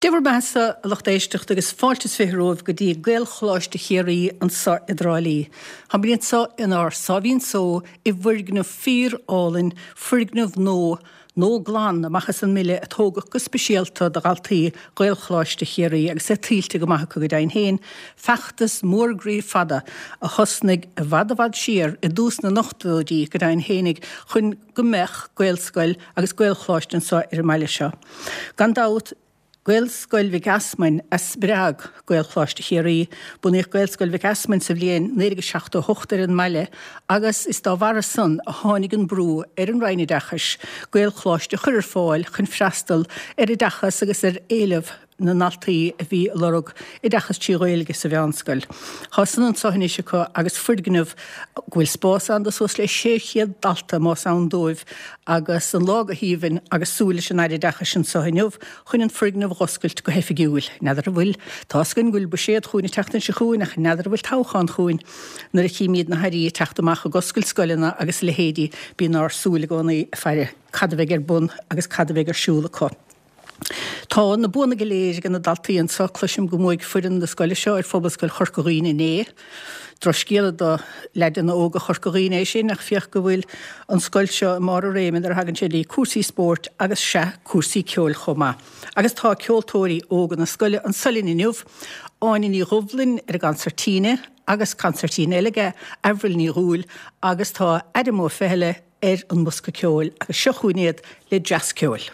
Dé bhur mbeathasa, a lucht éisteachta, agus fáilte is 20 romhaibh go dtí Gaelcholáiste Chiarraí anso i dTrá Lí. Táimid anso inár sáimhín só i bhfoirgneamh fíor-álainn, foirgneamh nua, nó glan amach as an mbile a tógadh go speisialta do dhaltaí Ghaelcholáiste Chiarraí agus é tuillte go maith acu go deimhin féin, feachtas mór groí fada a thosnaigh i bhfad i bhfad siar i dtús na n-ochtóidí go deimhin féinig chun go mbeadh Gaelscoil agus Gaelcholáiste anso ar an mbaile seo. Gan dabht, Gaelscoil Mhic Easmainn a spreag Gaelcholáiste Chiarraí. Bunaíodh Gaelscoil Mhic Easmainn sa bhliain 1978 ar an mbaile agus is dá bharra san a tháinig an brú ar an Roinn Oideachais Gaelcholáiste a chur ar fáil chun freastal ar oideachas agus ar éileamh na ndaltaí a bhí ag lorg oideachas trí Ghaeilge sa mheánscoil. Tá san anso anois acu agus foirgneamh go bhfuil spás ann do suas le 600 dalta más ann dóibh agus an lá go haoibhinn agus súil leis an Aire Oideachais anso inniu chun an foirgneamh a dh'oscailt go hoifigiúil. N'fheadar an bhfuil, tá's againn go bhfuil buiséad chugainn an tseachtain seo chugainn ach n'fheadar an bhfuil toghchán chugainn. Nuair a chímíd na hAirí ag teacht amach ag oscailt scoileanna agus a leithéidí bíonn ár súil i gcónaí ag faire cad a bheidh ar bun agus cad a bheidh ar siúl acu. Tá na buanna go léir ag na daltaí anso. Cloisim go mbuaigh foireann na scoile seo ar Phobalscoil Chorca Dhuibhne inné. Drochscéala do leaideanna óga Chorca Dhuibhne é sin ach féach go bhfuil an scoil seo i mbarr a réime nuair a thagann sé le cúrsaí spóirt agus sea, cúrsaí ceoil chomh maith. Agus tá ceoltóirí óga na scoile anso linn inniu, Áine Ní Dhubhlainn ar an gconsairtín agus consairtín eile aige, Avril Ní Dhúill agus tá Adam Ó Feithile ar an mbosca ceoil agus seo chugainn iad le dreas ceoil.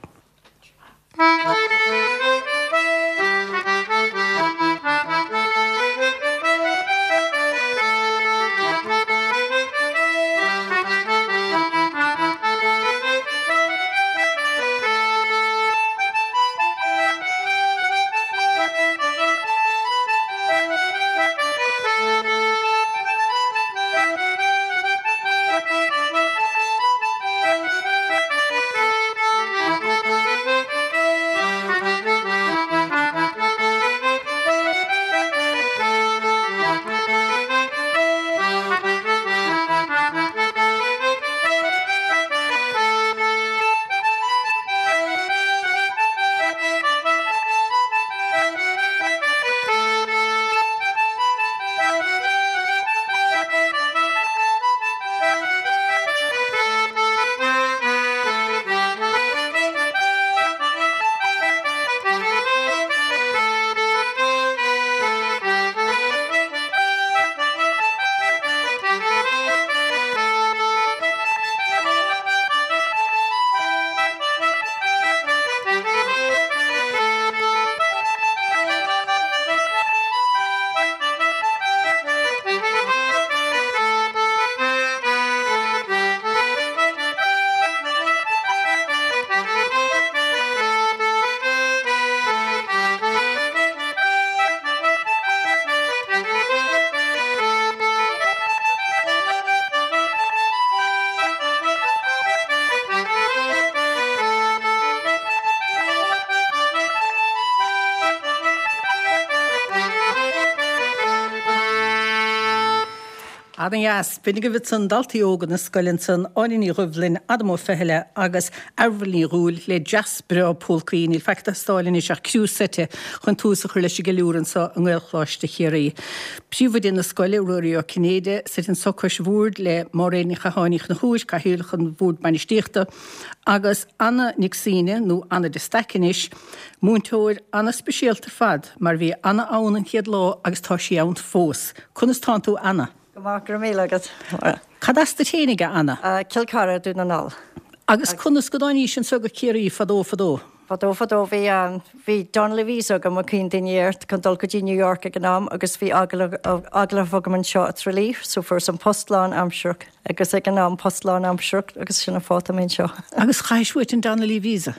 Ana-dheas. B'in agaibh ansan daltaí óga na scoile ansan, Áine Ní Dhoibhlin, Adam Ó Feithile agus Avril Ní Dhúill le dreas breá pólcaí. Níl faic ag teastáil anois ach criú seite chun tús a chur leis an gceiliúradh anso i nGaelcholáiste Chiarraí. Príomhoide na scoile, Ruairí Ó Cinnéide, suite anso cois bhoird le Máiréad Ní Chatháin Uí Chonchúir, Cathaoirleach an Bhoird Bainistíochta, agus Anna Nic Suibhne, nó Anna de Staic anois, múinteoir ana-speisialta ar fad, mar bhí Anna ann an chéad lá agus tá sí ann fós. Conas tánn tú, Anna? Go maith, go raibh míle agat. Cad as duit fhéinig, a Anna? Cill Chartha, Dún na nGall. Agus conas go dtáinís anso go Ciarraí fadó fadó? Fadó fadó bhí bhí Donnelly Visa agam a cuimhin daoine air chun dul go dtí New York ag an am agus bhí agallamh agallamh agam anseo i Tralee so fuaireas an post lán aimsearach agus ag an am post lán aimsearach agus sin an fáth tá mé anseo. Agus chaithis uait an Donnelly Visa?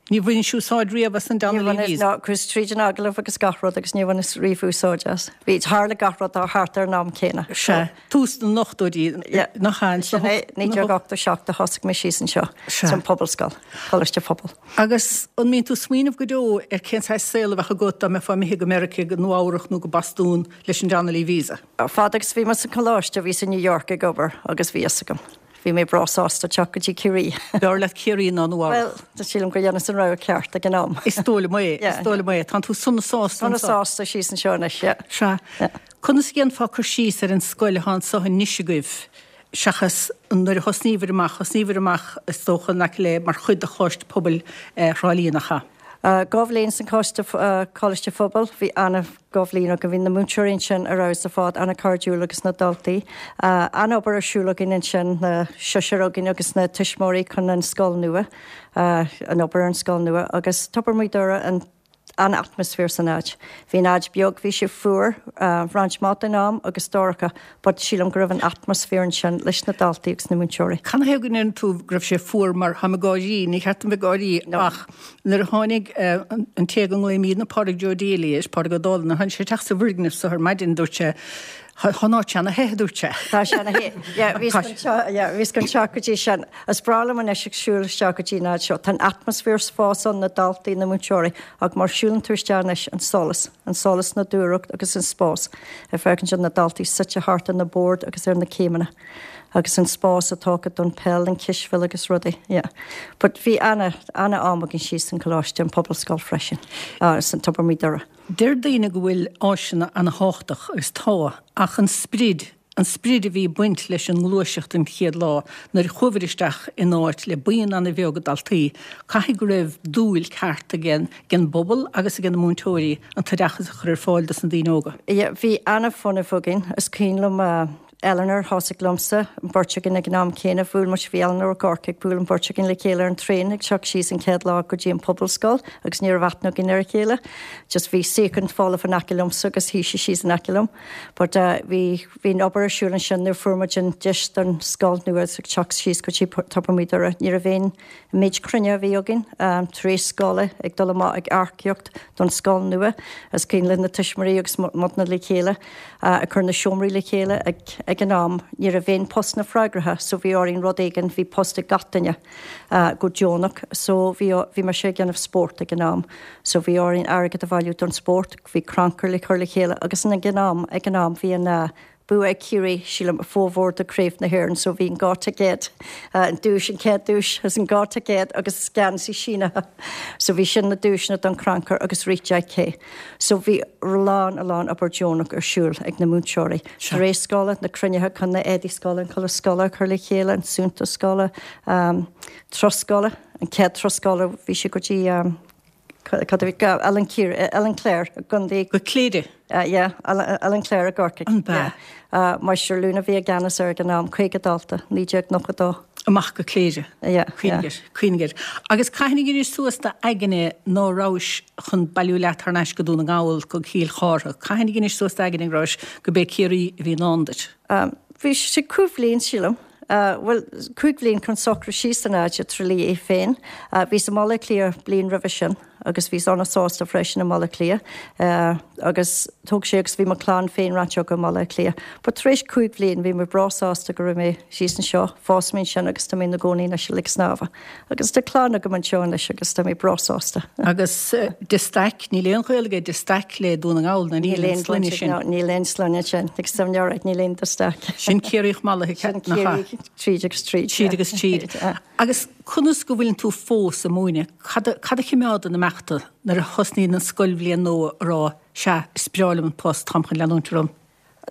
Ní bhainis úsáid riamh as an Donnelly Visa? Ní bhaineas, chuas tríd an agallamh agus gach rud agus níor bhaineas riamh úsáid as. Bhí, tharla gach rud thart ar an am céanna. Sea, tús na n-ochtóidí, nach ea? Sin é, 1987 a thosaigh mé síos anseo san Pobalscoil, Coláiste Phobail. Agus an mbíonn tú ag smaoineamh go deo ar cén saghas saol a bheadh agat dá mbeifeá imithe go Meiriceá, go Nua Eabhrac nó go Bostún leis an Donnelly Visa? Fad agus bhí mé sa choláiste, bhíos i New York ag obair agus bhí fhios agam. Bhí mé breá sásta teacht go dtí Ciarraí. B'fhearr leat Ciarraí ná Nua Eabhrac? Bhuel, sílim gur dheineas an rogha ceart ag an am. Is dóigh liom é, is dóigh liom é. Tánn tú sona sásta anseo. Sona sásta síos anseo anois, yeah. Sea. Conas a dhéanfá cur síos ar an scoil atá anseo anois agaibh seachas nuair a thosnaíobhair amach, thosnaíobhair amach is dócha in aice le mar chuid de Choláiste Pobail Thrá Lí, nach ea? 2 bhliain san Coiste, Coláiste Phobail, bhí ana 2 bhliain againn, bhí na múinteoirí ansin ar fheabhas ar fad, ana cairdiúil agus na daltaí. Ana-obair ar siúl againn ansin, na sisir againn agus na tuismitheoirí chun an scoil nua, an obair ar an scoil nua agus Tobar Mhaigh Dora an an-atmaisféar san áit. Bhí an áit beag, bhí sé fuar roinnt mhaith den am agus dorcha but sílim go raibh an atmaisféar ansin leis na daltaí agus na múinteoirí. Canathaobh go ndeireann tú go raibh sé fuar mar táim ag gáirí, ní cheart dom bheith ag gáirí ach nuair a tháinig an té go nglaoimídne Pádraig Joe Daly air, Pádraig Ó Dálaigh, nuair a tháinig sé isteach sa bhfoirgneamh so ar maidin dúirt sé Tá an áit ana-the, a dúirt sé. Tá sé ana-the. Yeah, bhíos chun teacht, yeah, bhíos chun teacht go dtí sin. Is breá liom anois ag siúl isteach go dtí an áit seo. Tá an atmaisféar fós ann, na daltaí, na múinteoirí, ach mar siúlann tú isteach anois, an solas, an solas nádúrach agus an spás. Ag féachaint ar na daltaí suite thart ar na boird agus ar na céimeanna. Agus an spás atá acu don peil, an cispheil agus rudaí, yeah. But bhí ana, ana-am againn síos san Coláiste, an Pobalscoil freisin, san Tobar Mhaigh Dora. Deir daoine go bhfuil áiseanna ana-thábhachtach, agus tá, ach an sprid, an sprid a bhí ag baint leis an ngluaiseacht an chéad lá nuair a chuabhair isteach in áit le buíon ana-bheag daltaí, caithfidh go raibh dúil ceart ag an bpobal agus ag na múinteoirí an t-oideachas a chur ar fáil dos na daoine óga. Yeah, bhí ana-fhuinneamh againn. Is cuimhin liom Eleanor, thosaigh liomsa, an bheirt againn ag an am céanna, bhuail muid, bhí Eleanor ó Corcaigh, bhuail an bheirt againn le chéile ar an traein ag teacht síos an chéad lá go dtí an Pobalscoil agus ní raibh aithne againn ar a chéile. Just bhí suíochán folamh in aice liomsa agus shuigh sí síos in aice liom. But eh bhí, bhí an obair ar siúl ansin nuair fuair muid an deis don scoil nua ag teacht síos go dtí Tobar Mhaigh Dora. Ní raibh aon An méid cruinnithe a bhí againn tar éis scoile, ag dul amach ag earcaíocht don scoil nua, is cuimhin le na tuismitheoirí agus muidne le chéile ag cur na seomraí le chéile ag an am. Ní raibh aon postanna freagartha so bhí orainn rud éigin, bhí post ag gach duine go deonach so bhí, bhí mise ag déanamh spórt ag an am so bhí orainn airgead a bhailiú don spórt, bhí crannchur le cur le chéile agus ag an am, ag an am bhí an. Bua ag Ciarraí, sílim, formhór de Craobh na hÉireann so bhí an 2 ticéad, an duais, an chéad duais is an 2 ticéad agus geansaí sínithe. So bhí sin na duaiseanna don chrannchur agus rith 10K. So bhí a lán, a lán obair deonach ar siúl ag na múinteoirí. Tar éis scoile, na cruinnithe chun na éadaí scoile, an culaith scoile a chur le chéile, an suntas scoile, turas scoile, an chéad turas scoile bhí sé go dtí, Cad a bhí, Oileán Ciarraí, Oileán Cléire, i gContae. Go Cléire? Yeah, Oileán Cléire i gCorcaigh. An b'ea? Yeah. Máistir Luna a bhí i gceannas air ag an am, 50 dalta, 1992. Amach go Cléire. Yeah, yeah. Cuimhnigh air, cuimhnigh air. Agus cathain a dheinis suas d'aigne ná rabhais chun bailiú leat thar n-ais go Dún na nGall, go Cill Chártha? Cathain a dheinis suas d'aigne go rabhais, go b'é Ciarraí a bhí i ndán duit? Bhí sé cúig bhliain, sílim. Bhuel, cúig bhliain chun socrú síos san áit i dTrá Lí é féin. Bhíos i mBaile Átha Cliath bliain roimhe sin agus bhíos ana-sásta freisin i mBaile Átha Cliath agus thóg sé agus bhí mo chlann féin roinnt acu i mBaile Átha Cliath. But tar éis cúig bhliain bhí mé breá sásta go raibh mé síos anseo, phós mé ansin agus tá mé ina gcónaí anois i Leic Snámha. Agus tá clann agam anseo anois agus tá mé breá sásta. Agus de Staic, níl aon ghaol aige de Staic le Dún na nGall, ná níl aon sloinne sin. Níl aon sloinne sin, agus tá mé alright, níl aon de Staic. Sin Ciarraíoch mallaithe, Sin Ciarraíoch tríd agus tríd. Tríd agus tríd. Agus conas go bhfuileann tú fós ag múineadh? Cad a chimeádann amach tú nuair a thosnaíonn an scoilbhliain nua a rá, sea, is breá liom an post, táim chun leanúint orm?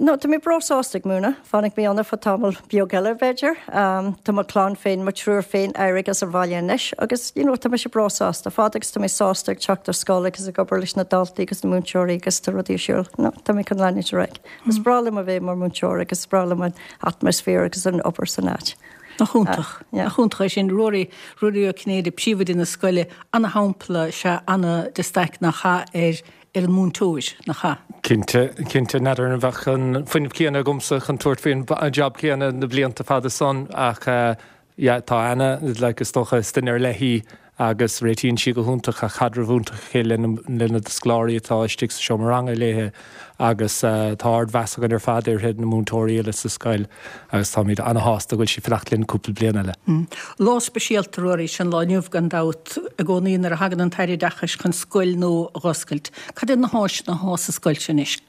No, tá mé breá sásta ag múineadh. Fanfaidh mé ann ar feadh tamall beag eile, b'fhéidir. Tá mo chlann féin, mo triúr féin éirithe as an bhaile anois agus, you know, tá mise breá sásta. Fad agus tá mé sásta ag teacht ar scoil agus ag obair leis na daltaí agus na múinteoirí agus tá rudaí ar siúl, no, tá mé chun leanúint ar aghaidh. Is breá liom a bheith mar mhúinteoir agus is breá liom an atmaisféar agus an obair san áit. Nach iontach. Nach iontach é sin. Ruairí, Ruairí Ó Cinnéide, príomhoide na scoile, ana-shampla is ea Anna de Staic nach ea ar ar an múinteoir, nach ea? Cinnte, cinnte. N'fheadar an mbeadh an fuinneamh céanna agamsa chun tabhairt faoin jab céanna na blianta fada san ach yeah tá Anna, like, is dócha, is duine ar leith í agus réitíonn sí go hiontach, tá caidreamh iontach aici le na scoláirí atá istigh sa seomra ranga léi agus tá ardmheas againn ar fad uirthi, na múinteoirí uile sa scoil agus táimid ana-shásta go bhfuil sí ag fanacht linn cúpla bliain eile. Lá speisialta, Ruairí, is ea an lá inniu gan dabht, i gcónaí nuair a thagann an tAire Oideachais chun scoil nua a dh'oscailt. Cad iad na háiseanna athá sa scoil seo anois?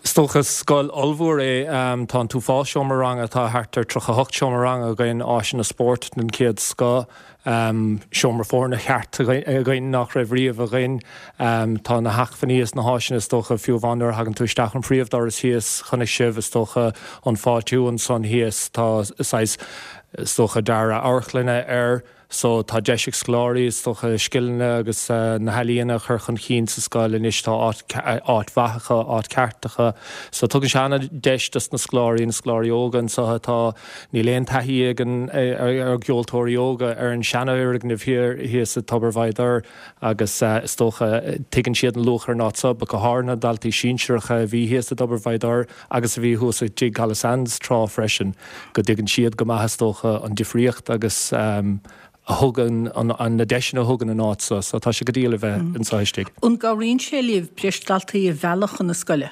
Is dócha scoil ollmhór é. Tá an t-uafás seomra ranga, tá thart ar 38 seomra ranga againn, áiseanna spóirt den chéad scoth, seomra foirne ceart againn nach raibh riamh againn. Tá na hacmhainní is na háiseanna is dócha, fiú amháin nuair a thagann tú isteach an phríomhdoras thíos, chonaic sibh is dócha an fáiltiú ansan thíos, tá saghas is dócha dearadh amharclainne air. So, tá deis ag scoláirí, is dócha, scileanna agus na healaíona a chur chun cinn sa scoil anois. Tá áit, áit mhaith acu, áit ceart acu. So, tugann sé an-deis dos na scoláirí, na scoláirí óga anseo atá, níl aon taithí ag an, ár gceoltóirí óga ar an seanfhoirgneamh thiar thíos i Tobar Mhaigh Dair agus is dócha, tuigeann siad an luach ar an áit seo, but go háirithe na daltaí sinsearacha a bhí thíos i dTobar Mhaigh Dair agus a bhí thuas i dTigh Calasanz tráth freisin, go dtuigeann siad go maith is dócha an difríocht agus a thugann, na deiseanna a thugann an áit seo, so tá sé go diail a bheith anseo istigh. An gcabhraíonn sé libh breis daltaí a mhealladh chun na scoile?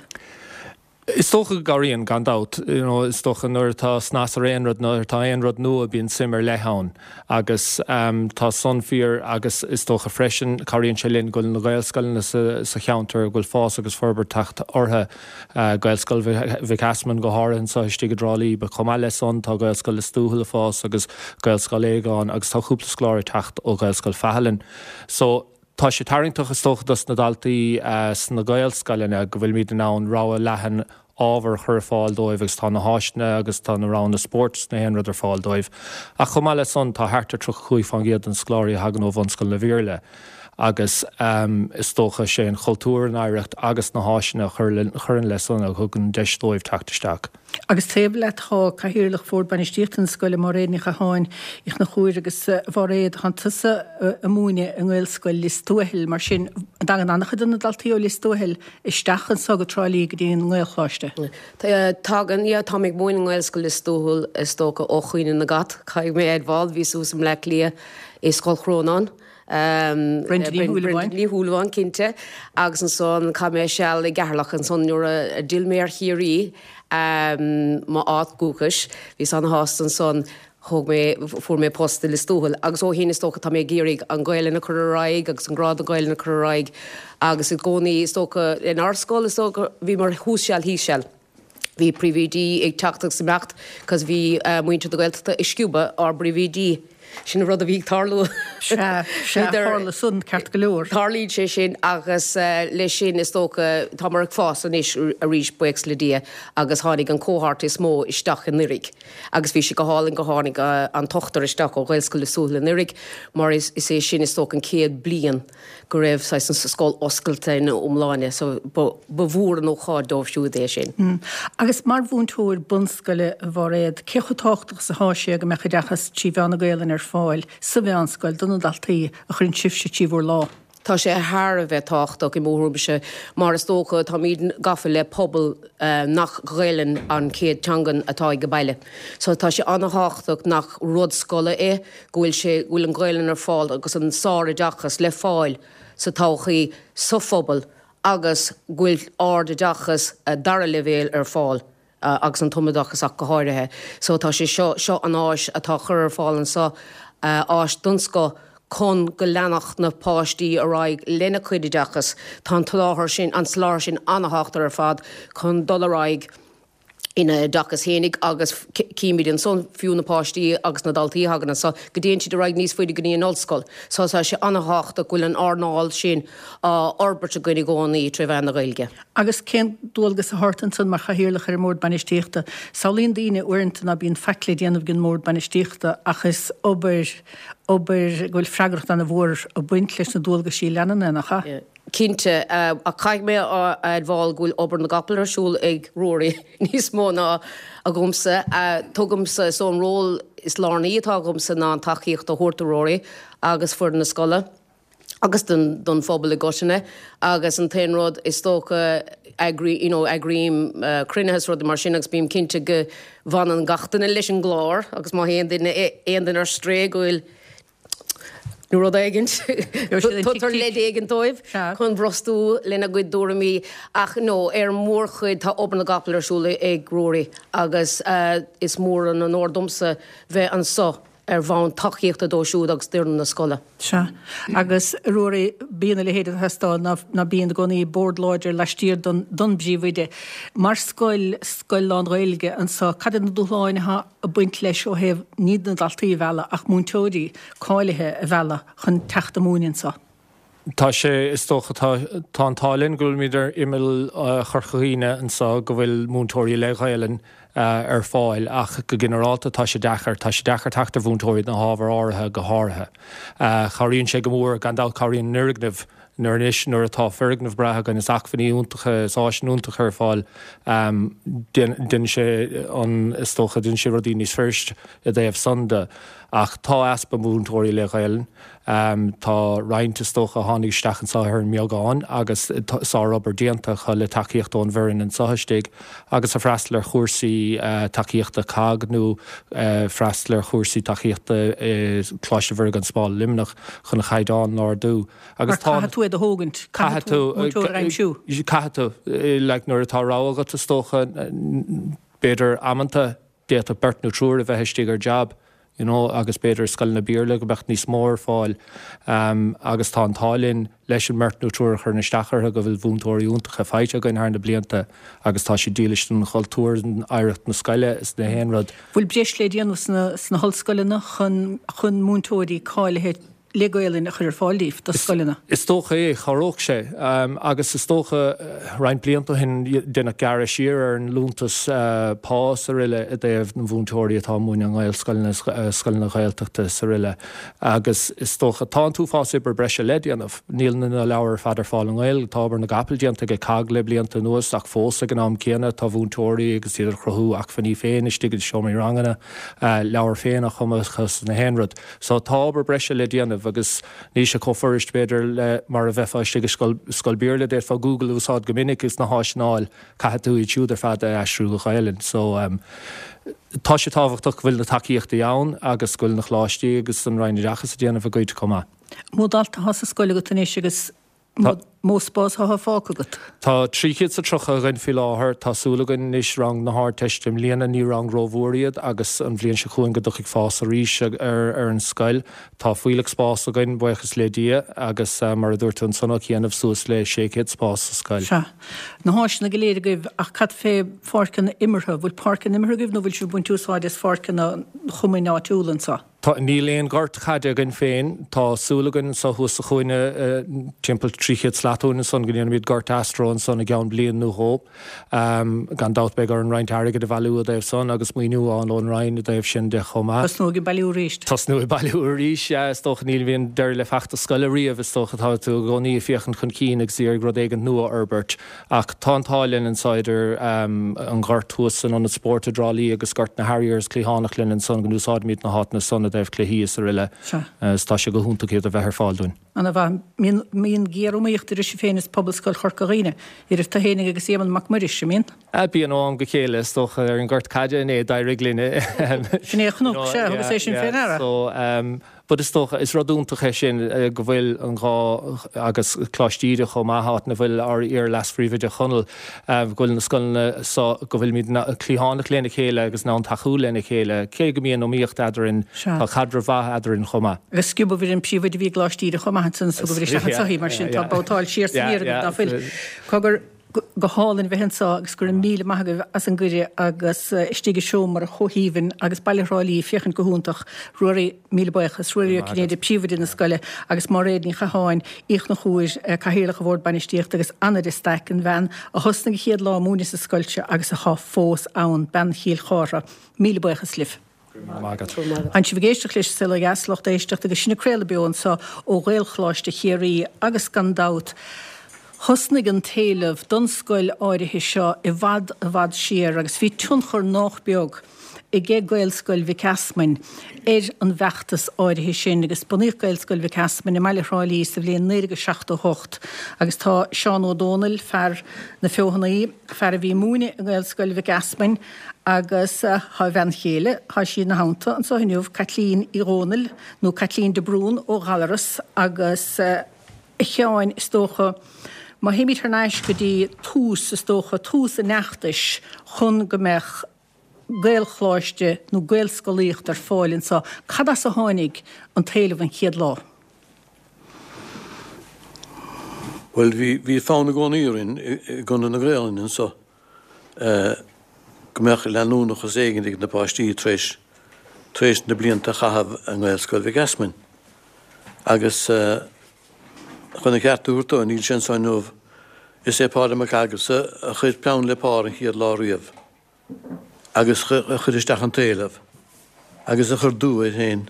Is dócha go gcabhraíonn, gan dabht. You know, is dócha nuair atá snas ar aon rud, nuair atá aon rud nua, bíonn suim ar leith ann. Agus tá san fíor agus is dócha freisin, cabhraíonn sé linn go bhfuil na Gaelscoileanna sa cheantar, go bhfuil fás agus forbairt teacht orthu. Gaelscoil Mhic Easmainn go háirithe anseo istigh i dTrá Lí, but chomh maith le san tá Gaelscoil Lios Tuathail ag fás agus Gaelscoil Aogáin agus tá cúpla scoláire ag teacht ó Ghaelscoil Phathalin. So tá sé tarraingteach is dócha dos na daltaí sna Gaelscoileanna go bhfuilimid in ann rogha leathan ábhar a chur ar fáil dóibh agus tá na háiseanna agus tá na roghanna spóirt is na haon rud ar fáil dóibh. Ach chomh maith le san tá thart ar 35% de na scoláirí a thagann ó bhunscoileanna Bhéarla. Agus is dócha, sé an chultúr, an oidhreacht agus na háiseanna a chuireann le san a thugann deis dóibh teacht isteach. Agus taobh leat tá Cathaoirleach Bhord Bainistíochta na scoile, Máiréad Ní Chatháin Uí Chonchúir agus a Mháiréad, tánn tusa ag múineadh i nGaelscoil Lios Tuathail, mar sin an dtagann an-chuid de na daltaí ó Lios Tuathail isteach anso go Trá Lí go dtí an nGaelcholáiste? Tagann, yeah, táim ag múineadh i nGaelscoil Lios Tuathail is dócha ó Chaoineadh na gCat, caithfidh mé a admháil, bhíos thuas i mBleá Cliath i Scoil Chrónáin. Brenda Ní Shúilleabháin. Brenda Ní Shúilleabháin, cinnte. Agus ansan chaith mé seal i gCeatharlach ansan nuair a d'fhill mé ar Chiarraí, m'áit dhúchais. Bhíos ana-shásta ansan. Thóg mé, fuair mé post i Lios Tuathail agus ó shin is dócha tá mé ag iarraidh an Ghaelainn a chur ar aghaidh agus an grá don Ghaelainn a chur ar aghaidh agus i gcónaí is dócha inár scoil is dócha bhíomar thuas seal thíos seal. Bhí príomhoidí ag teacht agus imeacht cos bhí muintir na Gaeltachta ag sciobadh ár bpríomhoidí. Sin an rud a bhí ag tarlú. Sea, sea, tharla san, ceart go leor. Tarlaíonn sé sin agus leis sin is dócha táimid ag fás anois arís buíochas le Dia agus tháinig an cohort is mó isteach anuraidh agus bhí sé go hálainn gur tháinig an t-ochtar isteach ó Ghaelscoil Lios Tuathail anuraidh mar is é sin is dócha an chéad bliain go raibh saghas an scoil oscailte ina iomláine so ba mhór an ócáid dóibh siúd é sin. Agus mar mhúinteoir bunscoile, a Mháiréad, cé chomh tábhachtach is atá sé go mbeadh oideachas trí mheán na Gaelainne ar fáil sa mheánscoil do na daltaí a chuireann sibhse trí bhur lámh? Tá sé thar a bheith tábhachtach i mo thuairimse mar is dócha táimid gafa le pobal nach Gaelainn an chéad teangan atá ag baile. So tá sé an-thábhachtach nach rud scoile é go bhfuil sé, go bhfuil an Ghaelainn ar fáil agus an sároideachas le fáil sa todhchaí sa phobal agus go bhfuil ardoideachas dara leibhéal ar fáil agus an tumoideachas ach go háirithe. So tá sé seo, seo an áis atá curtha ar fáil anseo, áis den scoth chun go leanfadh na páistí ar aghaidh lena cuid oideachas. Tá an tsoláthar sin, an soláthar sin an-thábhachtach ar fad chun dul ar aghaidh. ina n-oideachas fhéinig agus címid ansan fiú na páistí agus na daltaí a thagann anso go dtéann siad ar aghaidh níos faide go dtí an ollscoil. So tá sé an-thábhachtach go bhfuil an earnáil sin á fhorbairt againn i gcónaí tré mheán na Gaeilge. Agus cén dualgas atá ort ansan mar chathaoirleach ar an mBord Bainistíochta? Samhlaíonn daoine uaireanta ná bíonn faic le déanamh ag an mBord Bainistíochta ach is obair, obair go bhfuil freagracht ana-mhór ag baint leis na dualgaisí a leanann é, nach ea? Cinnte, ach caithfidh mé a admháil go bhfuil obair na gcapall ar siúl ag Ruairí níos mó ná agamsa. Tugaimse, so an ról is lárnaí atá agamsa ná an tacaíocht a thabhairt do Ruairí agus foireann na scoile agus don phobal i gcoitinne agus an t-aon rud is dócha eagraí, you know, eagraím cruinnithe is rudaí mar sin agus bím cinnte go bhfanann gach duine leis an gclár agus má théann duine, aon duine ar strae go bhfuil nó rud éigint. Tugtar leid éigin dóibh chun brostú lena gcuid dtuairimí ach no, ar an mórchuid tá obair na gcapall ar siúl ag Ruairí agus is mór an onóir domsa bheith anso. Ar bhonn tacaíochta dó siúd agus d'fhoireann na scoile. Sea. Agus, a Ruairí, bíonn a leithéid ag teastáil, ná, ná bíonn i gcónaí bord láidir laistiar don, don bpríomhoide. Mar scoil, scoil lán-Ghaeilge anso, cad iad na dúshláin atá ag baint leis ó thaobh ní na daltaí a mhealladh ach múinteoirí cáilithe a mhealladh chun teacht a múineadh anso? Tá sé, is dócha, tá, tá an t-ádh linn go bhfuilimid ar imeall Chorca Dhuibhne anseo, go bhfuil múinteoirí le Gaelainn ar fáil ach go ginearálta tá sé deacair, tá sé deacair teacht ar mhúinteoirí do na hábhair áirithe go háirithe. Cabhraíonn sé go mór, gan dabht cabhraíonn an fhoirgneamh nuair anois nuair atá foirgneamh breá againn is acmhainní iontacha is áiseanna iontacha ar fáil, déanann sé an, is dócha, déanann sé rudaí níos fuiriste i dtaobh san de. Ach tá easpa múinteoirí le Gaelainn. Tá roinnt, is dócha, a tháinig isteach anseo ar an mbeagán agus sárobair déanta acu le tacaíocht ón bhfoireann anseo istigh agus ag freastal ar chúrsaí tacaíochta COGG nó freastal ar chúrsaí tacaíochta i Coláiste Mhuire gan Smál i Luimneach chun an chaighdeán a ardú. Agus tá. Mar caithfidh tú iad a thógaint, caithfidh tú múinteoir a aimsiú. Caithfidh tú. Like nuair atá rogha agat, is dócha, b'fhéidir amanta, D'fhéadfadh beirt nó triúr a bheith istigh ar jab, you know, agus b'fhéidir i scoileanna Béarla go mbeadh níos mó ar fáil. Agus tá an t-ádh linn leis an mbeirt nó triúr a chuireann isteach orthu go bhfuil mhúinteoirí iontacha faighte againn thar na blianta agus tá siad dílis don chultúr, don oidhreacht na scoile is na haon rud. Bhfuil breis le déanamh sna hollscoileanna chun chun múinteoirí cáilithe le Gaolainn a chur ar fáil daoibh, do scoileanna? Is dócha é, chabhródh sé. Agus is dócha, roinnt blianta ó shin, deineadh gearradh siar ar an liúntas pá is aroile i dtaobh na mhúinteoirí atá ag múineadh i nGaelscoileanna, scoileanna Ghaeltachta is aroile. Agus is dócha, tá an t-uafás oibre breise le déanamh. Níl na leabhair ar fad ar fáil i nGaeilge. Tá obair na gcapall déanta ag COGG le blianta anuas ach fós ag an am céanna tá mhúinteoirí agus iad ag cruthú acmhainní féin istigh i seomraí ranganna, leabhair féin á chumadh acu is na haon rud. So tá obair breise le déanamh agus níl sé chomh fuirist b'fhéidir le mar a bheifeá istigh i scoil, scoil Béarla, d'fhéadfá Google a úsáid go minic agus na háiseanna a fháil, caithfidh tú iad siúd ar fad a aistriú go Gaelainn. So tá sé tábhachtach go bhfuil na tacaíochtaí ann agus go bhfuil na coláistí agus an Roinn Oideachais ag déanamh a gcuid chomh maith. Mó dalta atá sa scoil agat anois agus Mó spás atá fágtha agat? Tá 330 againn faoi láthair. Tá súil againn anois rang na hArdteiste i mbliana, ní rang rómhór iad, agus an bhliain seo chugainn go dtiocfaidh fás arís ar an scoil. Tá fuílleach spás againn, buíochas le Dia, agus mar a dúirt tú ansan a Chianaibh, suas le 600 spás sa scoil. Sea. Na háiseanna go léir agaibh ach cad fé pháirceanna imeartha? Bhfuil páirceanna imeartha agaibh nó bhfuil sibh ag baint úsáid as pháirceanna an chumainn áitiúla anseo? Tá, níl aon ghort chaide againn féin. Tá súil againn anso thuas sa chúinne, timpeall 300 slat uainn ansan, go ndéanfaimid gort astro ansan i gceann bliain nó dhó. Gan dabht beidh orainn roinnt airgid a bhailiú i dtaobh san agus maoiniú a fháil ón Roinn i dtaobh sin de chomh maith. Tosnú ag bailiú arís. Tosnú ag bailiú arís, sea, is dócha. Ní bhíonn deireadh le feachtas scoile riamh, is dócha. Tá tú i gcónaí ag féachaint chun cinn agus ag iarraidh rud éigint nua a fhorbairt. Ach tá an t-ádh linn anso idir an gort thuas san Ionad Spóirt i dTrá Lí agus gort na Harriers cliathánach linn ansan go n-úsáidimid na háiteanna san i dtaobh cluichí is aroile is tá sé go hiontach iad a bheith ar fáil dúinn. Ana mhaith. Mbíonn géar-iomaíocht idir sibh féin is Pobalscoil Chorca Dhuibhne, idir tú fhéinig agus Éamonn Mac Muiris, an mbíonn? Bíonn ó am go chéile is dócha ar an ngort caide inné d'éirigh linn. Sin é a chonac, sea, thugas é sin fé ndeara. So, But is dócha, is rud iontach é sin go bhfuil an dhá, agus Coláiste Íde chomh maith, áit ina bhfuil ár iar-leas-phríomhoide Chonall, go bhfuil na scoileanna so, go bhfuilimid cliathánach lena chéile agus in ann tacú lena chéile, cé go mbíonn iomaíocht eadrainn, tá caidreamh mhaith eadrainn chomh maith. Agus sciobadh ar an phríomhoide a bhí i gColáiste Íde chomh maith ansan, is thugaibh isteach anso í, mar sin tá babhtáil siar 's aniar agaibh, ná fuil? Cogar. Go hálainn a bheith anseo agus go raibh míle maith agaibh as an gcuireadh agus istigh i seomra chomh haoibhinn agus baile Thrá Lí ag féachaint go hiontach. Ruairí, míle buíochas. Ruairí Ó Cinnéide, Príomhoide na scoile agus Máiréad Ní Chatháin, Uí Chonchúir, Cathaoirleach an Bhord Bainistíochta agus Anna de Staic, an bhean a thosnaigh an chéad lá ag múineadh sa scoil seo agus athá fós ann, bean Chill Chártha. Míle buíochas libh. Tá sibh ag éisteacht leis An Saol Ó Dheas, lucht éisteachta, agus sinn ag craoladh beo anseo ó Ghaelcholáiste Chiarraí agus gan dabht thosnaigh an t-éileamh don scoil áirithe seo i bhfad i bhfad siar agus bhí tionchar nách beag aige Gaelscoil Mhic Easmainn ar an bhfeachtas áirithe sin agus bunaíodh Gaelscoil Mhic Easmainn i mbaile Thrá Lí sa bhliain 1978 agus tá Seán Ó Dónaill, fear na Feothanaí, fear a bhí ag múineadh i nGaelscoil Mhic Easmainn agus tá a bhean chéile, tá sí ina theannta anseo inniu, Caitlín Uí Dhónaill, nó Caitlín de Brún ó Ghallaras agus a Sheáin, is dócha, má théimid thar n-ais go dtí tús, is dócha, tús an fheachtais chun go mbeadh. Gaelcholáiste nó Gaelscolaíocht ar fáil anseo. Cad as a tháinig an t-éileamh an chéad lá? Bhuel, bhí, bhí fonn i gcónaí orainn i gConradh na Gaolainne anseo go mbeadh leanúnachas éigin ag na páistí tar éis, tar éis na blianta a chaitheamh i nGaelscoil Mhic Easmainn. Agus chun an ceart a thabhairt dó, níl sé anseo inniu, is é Pádraig Mac Aghasa a chuir peann le pár an chéad lá riamh. agus a chuir isteach an t-éileamh agus a chuir dua air féin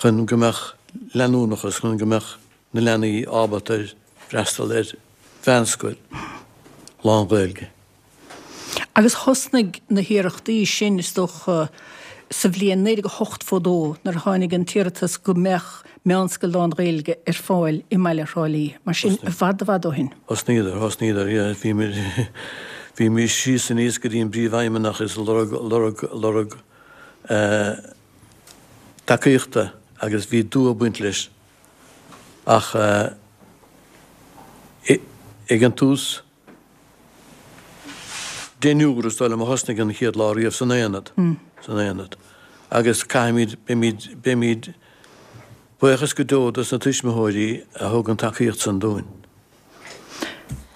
chun go mbeadh leanúnachas, chun go mbeadh na leanaí ábalta ar freastal ar mheánscoil lán-Ghaeilge. Agus thosnaigh na hiarrachtaí sin, is dócha, sa bhliain 1982 nuair a tháinig an t-iarratas go mbeadh meánscoil lán-Ghaeilge ar fáil i mbaile Thrá Lí. Mar sin, i bhfad i bhfad ó shin. Thosnaíodar, thosnaíodar, yeah. Bhíomar, bhímís síos aníos go dtí an bpríomhfheidhmeannach is lorg, lorg, lorg eh tacaíochta agus bhí dua ag baint leis ach eh ag an tús, Deichniúr is dóigh liom a thosnaigh an chéad lá riamh san aonad, san aonad. Agus caithfimid, beimid, beimid buíochas go deo dos na tuismitheoirí a thug an tacaíocht san dúinn.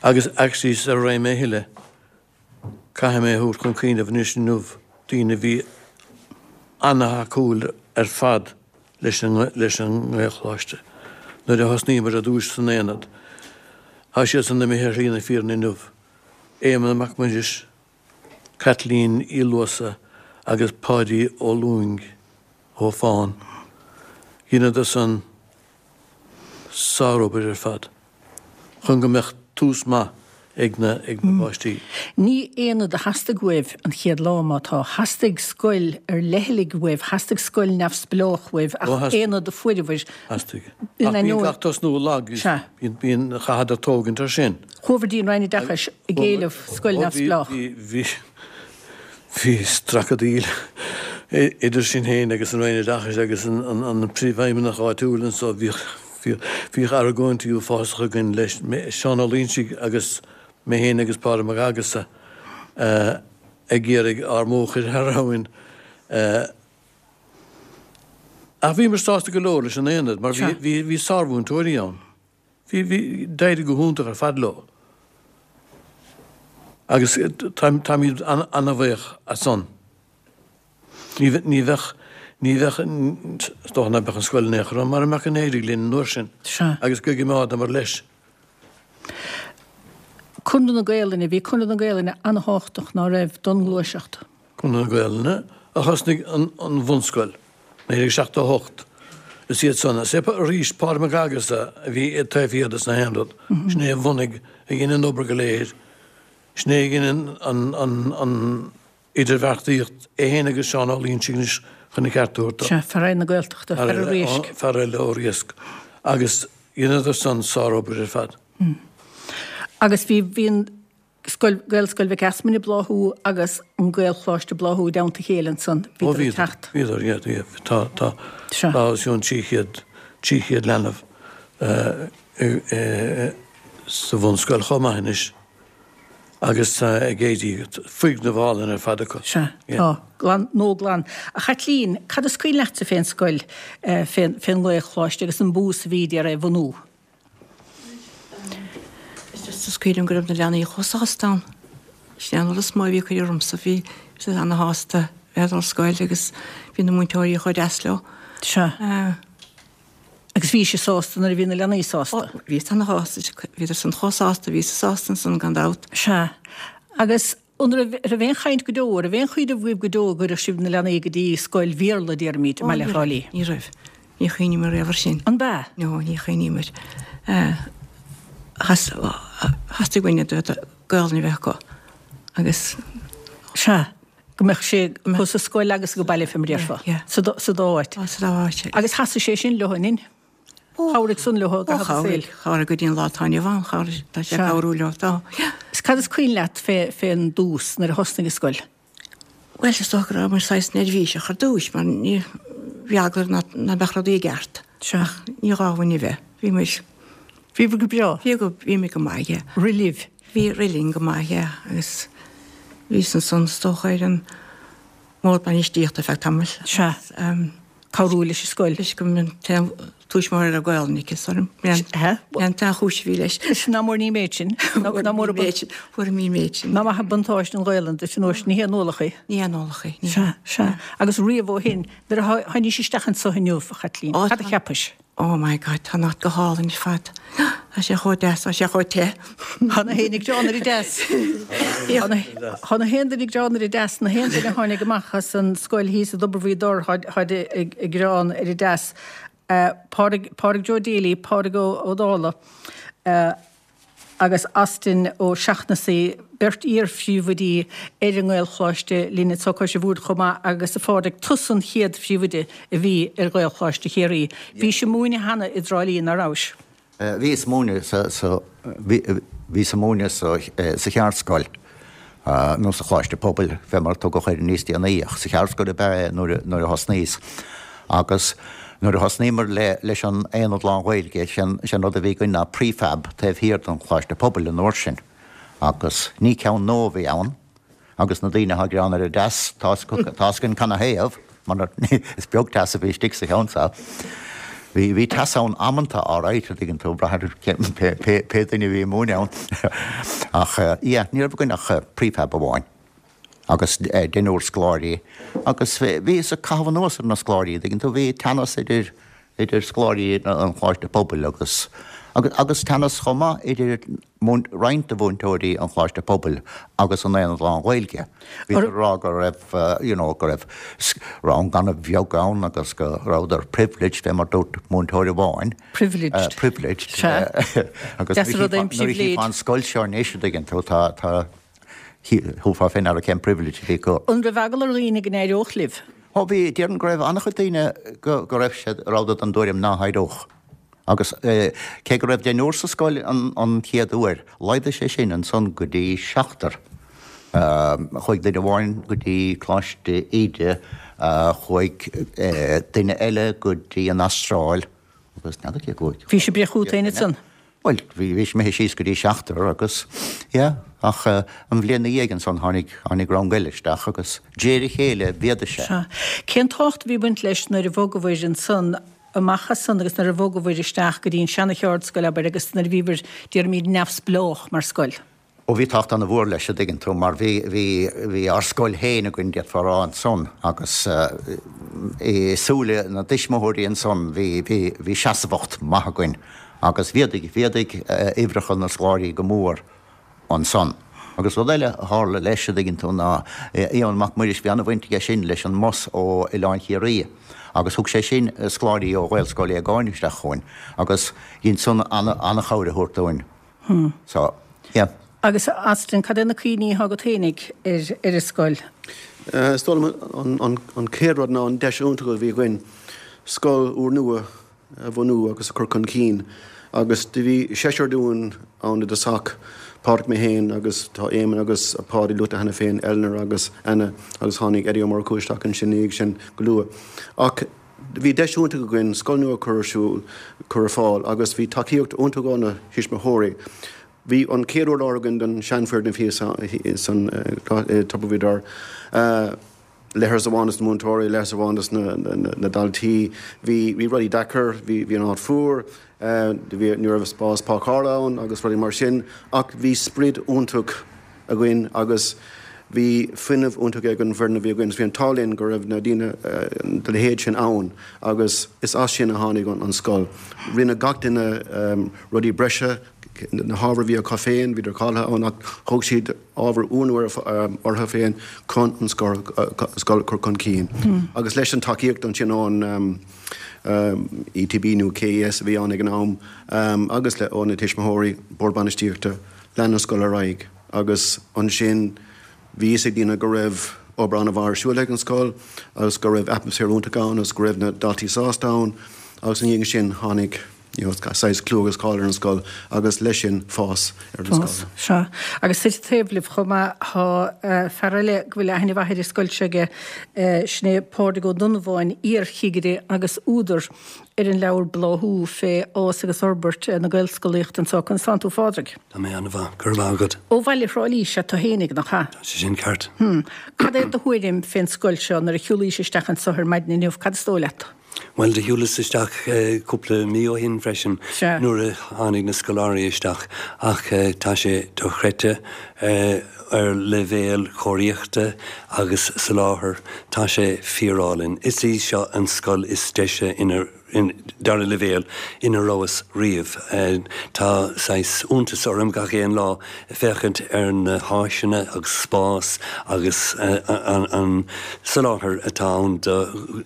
Agus actually sara raghaidh mé a thuilleadh, caithfidh mé a thabhairt chun cuimhneamh anois inniu, daoine a bhí ana-thacúil ar fad leis an leis an nGaelcholáiste nuair a thosnaíomar ar dtúis san Aonad. Tá siadsan imithe ar shlí na fírinne inniu, Éamonn Mac Muiris, Caitlín Uí Luasa agus Páidí Ó Lúing ó Fán. Dheineadar san sárobair ar fad chun go mbeadh tús maith ag na ag na páistí. Ní aonad a theastaigh uaibh an chéad lá, má tá. Theastaigh scoil ar leithligh uaibh, theastaigh scoil neamhspleách uaibh, ach aonad a fuaireabhair. Theastaigh. Ach bíonn gach tosnú lag, bíonn, bíonn, chaitheadar tógaint ar sin. Chuabhair dtí an Roinn Oideachais ag éileamh scoil neamhspleách. Bhí, bhí, bhí stracadaíl idir sinn féin agus an Roinn Oideachais agus an Príomhfheidhmeannach áitiúil anso. Bhíodh, bhíodh argóintí uafásacha againn leis, Seán Ó Loingsigh agus mé féin agus Pádraig Mac Aghasa ag iarraidh ár mbó a chur thar abhainn. Ach bhíomar sásta go leor leis an aonad mar bhí, bhí sármhúinteoirí ann. Bhí, bhí, d'éirigh go hiontach ar fad leo agus táimid an-bhuíoch as san. Ní, ní bheadh, ní bheadh, is dócha nach mbeadh an scoil in aon chor ann mara mbeadh an éirigh linn an uair sin agus go gcoimeádamar leis. Conradh na Gaelainne, bhí Conradh na Gaelainne an-thábhachtach, ná raibh, don ngluaiseacht? Conradh na Gaelainne a thosnaigh an bhunscoil, 1978. Is iad san, is é arís Pádraig Mac Aghasa a bhí taobh thiar de na haon rud. Sin é a bhunaigh, a dhein an obair go léir. Sin é a dhein an idirbheartaíocht, é féin agus Seán Ó Loingsigh anois chun an ceart a thabhairt dó. Sea, fear eile na Gaeltachta, fear an Riaisc. Fear eile ó Riasc. Agus dheineadar san sárobair ar fad. Agus bhí, bhí an. Scoil, Gaelscoil Mhic Easmainn ag bláthú agus an Gaelcholáiste ag bláthú i dteannta a chéile ansan. Ó Bhíodar ag teacht. Bhíodar, yeah, yeah. Tá, tá, Sea. tá os cionn 300, 300 leanbh sa bhunscoil chomh maith anois agus tá ag éirí, foirgneamh álainn ar fad acu. Sea, Yeah. tá. Glan, nua glan. A Chaitlín, cad is cuimhin leatsa fén scoil, fén, fén nGaelcholáiste agus an bús a bhí ar é a bhunú? Is cuimhin liom go raibh na leanaí chomh sásta ann. Sin é an rud is mó a bhí ag cur ormsa, bhí siad ana-shásta bheith ag dul ar scoil agus bhí na múinteoirí chomh deas leo. Sea. Agus bhí sibh sásta nuair a bhí na leanaí sásta? Ó, bhíos ana-shásta, bhíodar san chomh sásta, bhíos sásta ansan gan dabht. Sea. Agus An raibh, raibh aon chaint go deo, raibh aon chuimhneamh agaibh go deo go gcuirfeadh sibh na leanaí go dtí scoil Bhéarla, déarfaimid, i mBaile Thrá Lí? Ní raibh. Ní chuimhníomar riamh ar sin. An b'ea? No, ní chuimhníomar. Theastaigh uainn Gaolainn a bheith acu agus. Sea, go mbeadh sé acu sa scoil agus ag baile fé mar a déarfá. Sa dá áit. Sa dá áit. Agus sheasaigh sé sin leo, an in? Chabhraigh san leo i gcaitheamh a saoil. Chabhraigh go dtí an lá atá inniu ann, chabhraigh, tá sé ag cabhrú leo, tá. Is cad is cuimhin leat fé, fén dtús, nuair a thosnaigh an scoil? Bhuel, is dócha go rabhamar saghas neirbhíseach ar dtúis, mar ní, bhí eagla orainn nach, nach mbeadh rudaí i gceart. Sea. Ach ní gá dhúinn a bheith. Bhí muid. Bhíobhair go breá. Bhí go, bhí muid go maith, yeah. Rith libh? Bhí, rith linn go maith, yeah, agus. Bhíos ansan is dócha ar an mbord bainistíochta ar feadh tamaill. Sea. Cabhrú leis an scoil. Leis go mb'in an t-aon tuismitheoir a raibh Gaolainn aici, is orm. Sea. B'in an t-aon chúis a bhí leis. Nach mór ní méid sin. Nach mór an méid sin. Fuair an méid sin. Nach maith an buntáiste an Ghaolainn duit an uair sin, ní haon ualach í. Ní haon ualach í. Sea, sea. Agus riamh ó shin, nuair a tháinís isteach anso inniu, a Chaitlín, cad a cheapais? Oh my God, tá an áit go hálainn ar fad. Tá sé chomh deas, tá sé chomh te. Tá na héinne ag gearán ar an dteas. Tá na haon duine ag gearán ar an dteas, na haon duine a tháinig amach as an scoil thíos i dTobar Mhaoth Dobhair táid ag gearán ar an dteas. Pádraig, Pádraig Joe Daly, Pádraig Ó Dálaigh. agus Austin Ó Seachnasaigh, beirt iar-phríomhoidí ar an nGaelcholáiste linn anso Cois an Bhoird chomh maith agus a Phádraig, tusa an chéad phríomhoide a bhí ar Ghaelcholáiste Chiarraí. Bhís ag múineadh cheana i dTrá Lí, ná rabhais? Bhíos ag múineadh sa, sa, bhíos ag múineadh sa, sa cheardscoil nó sa Choláiste Pobail, fé mar a tugadh air níos déanaí, ach sa cheardscoil ab ea é nuair a thosnaíos. Agus nuair a thosnaíomar leis an Aonad Lán-Ghaeilge, sé an rud a bhí againn ná prefab taobh thiar den Choláiste Pobail an uair sin. Agus ní ceann nua a bhí ann, agus na daoine atá ag gearán ar an dteas, tá 'fhios againn canathaobh, mar is beag teas a bhí istigh sa cheann seo. Bhí, bhí teas ann amanta, alright, a dtuigeann tú, brath ar pé, pé duine a bhí ag múineadh ann. Ach, yeah, ní raibh againn ach prefab amháin agus deichniúr scoláirí agus bhíothas ag caitheamh anuas ar na scoláirí, a dtuigeann tú, bhí teannas idir, idir scoláirí an Choláiste Pobail agus, agus, agus teannas chomh maith idir roinnt de mhúinteoirí an Choláiste Pobail agus an Aonad Lán-Ghaeilge. Bhíodar ag rá go raibh, you know, go raibh rang an-bheag ann agus go rabhadar privileged, fé mar dúirt múinteoir amháin. Privileged. Privileged. Sea. Agus Deas an rud é an nuair a pribhléid. chífeá an scoil seo anois, a dtuigeann tú, tá, tá, thabharfá fé ndeara cén privilege a bhí acu. An raibh eagla ar dhaoine go n-éireodh libh? Ó bhí, déarfainn go raibh an-chuid daoine go, go raibh siad, rabhadar den dtuairim ná héireodh. Agus cé go raibh deichniúr sa scoil an chéad uair, laghdaigh sé sin ansan go dtí seachtar. Chuaigh duine amháin go dtí Coláiste Íde, chuaigh duine eile go dtí an Astráil agus n'fheadar cé chuaigh. Bhí sibh breith chugat féin ansan? Bhuel, bhí bhí imithe síos go dtí seachtar agus, yeah, ach an bhliain ina dhiaidh ansan tháinig, tháinig rang eile isteach agus de réir a chéile mhéadaigh sé. Sea. Cén tábhacht a bhí ag baint leis nuair a bhogabhair ansan amach as san agus nuair a bhogabhair isteach go dtí an seana-cheardscoil, abair, agus nuair a bhíobhair, déarfaimid, neamhspleách mar scoil. Ó bhí tábhacht ana-mhór leis, a dtuigeann tú, mar bhí, bhí, bhí ár scoil féin againn, d'fhéadfá a rá, ansan agus i súile na dtuismitheoirí ansan bhí, bhí, bhí seasmhacht maith againn agus mhéadaigh, mhéadaigh uimhreacha na scoláirí go mór. ansan. Agus rud eile a tharla leis, a dtuigeann tú, ná Eoin Mac Muiris, bhí an-bhaint aige sin leis an mbus ó Oileán Chiarraí agus thug sé sin scoláirí ó Ghaelscoil Aogáin isteach chugainn agus dhein san an-chabhair a thabhairt dúinn. So, yeah. Agus Austin, cad é na cuimhní atá agat fhéinig ar ar an scoil? Is dóigh liom an chéad rud ná an deis iontach a bhí againn scoil úrnua a bhunú agus a chur chun cinn agus do bhí seisear dúinn ann i dtosach, Pádraic, mé féin agus tá Éamonn agus Páidí luaite cheana féin, Eleanor agus Anna agus tháinig Eddie Ó Murchú isteach ansin ina dhiaidh sin go luath. Ach bhí deis iontach againn scoil nua a chur ar siúl, cur ar fáil agus bhí tacaíocht iontach ó na thuismitheoirí. Bhí an chéad urlár againn den seanfhoirgneamh thíos san i Tobar Mhaoth Dobhair. Leithreas amháin dos na múinteoirí, leithreas amháin dos na daltaí. Bhí bhí rudaí deacair, bhí bhí an áit fuar, bhí ní raibh spás páirceála ann agus rudaí mar sin ach bhí sprid iontach againn agus bhí fuinneamh iontach ag an bhfoireann a bhí againn. Bhí an t-ádh linn go raibh na daoine de leithéid sin ann agus is as sin a tháinig an scoil. Rinne gach duine rudaí breise, na hábhair a bhí acu féin, bhíodar cáilithe ann ach thóg siad ábhar úrnua orthu féin chun an scoil a chur chun cinn. Agus leis an tacaíocht ansin ón ETB nó KES a bhí ann ag an am agus le ó na tuismitheoirí, bord bainistíochta, lean an scoil ar aghaidh agus ansin bhí fhios ag daoine go raibh obair an-mhaith ar siúl ag an scoil agus go raibh atmaisféar iontach ann agus go raibh na daltaí sásta ann agus ina dhiaidh sin tháinig you know, saghas clú agus cáil ar an scoil agus leis sin fás ar an scoil. Fás, sea. Agus suite taobh libh chomh maith tá fear eile go bhfuil aithne mhaith ar an scoil seo aige, sin é Pádraig Ó Donnabháin, iar-chigire agus údar. ar an leabhar Bláthú fé fhás agus fhorbairt na Gaelscolaíochta anseo. Conas tánn tú a Phádraig? Tá mé an-mhaith, go raibh maith agat. Ó bhaile Thrá Lí is ea tú fhéinig, nach ea? Tá sé sin ceart. Hm. Cad é do thuairim fén scoil seo nuair a shiúlaís isteach anso ar maidin inniu, cad is dóigh leat? Bhuel, do shiúlas isteach cúpla mí ó shin freisin nuair a tháinig na scoláirí isteach ach tá sé dochreidte ar leibhéal cóiríochta agus soláthair, tá sé fíorálainn. Is í seo an scoil is deise ina dara leibhéal ina rabhas riamh. Tá saghas iontas orm gach aon lá féachaint ar na háiseanna agus spás agus an soláthar atá ann do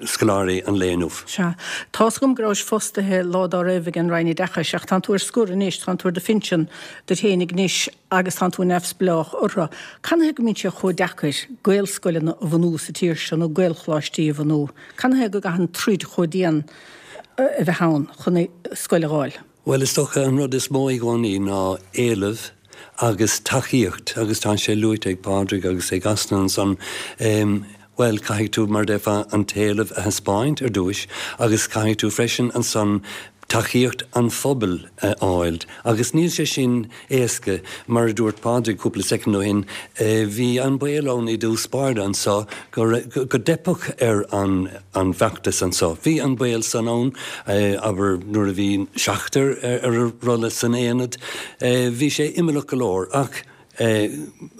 scoláirí an lae inniu. Sea. Tá's agam go rabhais fostaithe lá dá raibh ag an Roinn Oideachais ach tánn tú ar scor anois, tánn tú ar do phinsean duit fhéinig anois agus tánn tú neamhspleách orthu. Canathaobh go mbíonn sé chomh deacair Gaelscoileanna a bhunú sa tír seo nó Gaelcholáistí a bhunú? Canathaobh go gcaitheann troid chomh dian a bheith ann chun scoil a dh'fháil? Bhuel, is dócha an rud is mó i gcónaí ná éileamh agus tacaíocht agus tá sé luaite ag Pádraig agus ag Austin ansan, bhuel, caithfidh tú, mar a déarfá, an t-éileamh a thaispeáint ar dtúis agus caithfidh tú freisin ansan tacaíocht an phobail a fháil agus níl sé sin éasca. Mar a dúirt Pádraig cúpla soicind ó shin, bhí an baol ann i dtús báire anso go go dteipfeadh ar an an bhfeachtas anso. Bhí an baol san ann, abair, nuair a bhí seachtar ar an rolla san aonad. Bhí sé imeallach go leor ach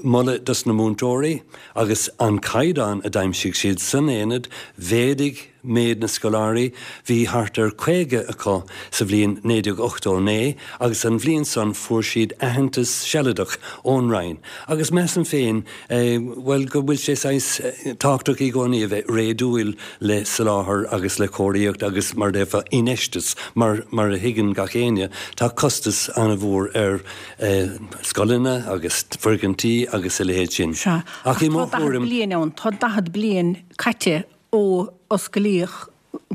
moladh dos na múinteoirí agus an caighdeán a d'aimsigh siad san aonad, mhéadaigh méid na scoláirí, bhí thart ar 50 acu sa bhliain 1989 agus an bhliain san fuair siad aitheantas sealadach ón Roinn agus measaim féin, bhuel, go bhfuil sé saghas tábhachtach i gcónaí a bheith réadúil le soláthar agus le cóiríocht agus mar a déarfá infheisteas mar mar a thuigeann gach éinne tá costas an-mhór ar scoileanna agus foirgintí agus a leithéid sin. Sea, ach tá 40 bliain ann, tá 40 bliain caite ó osclaíodh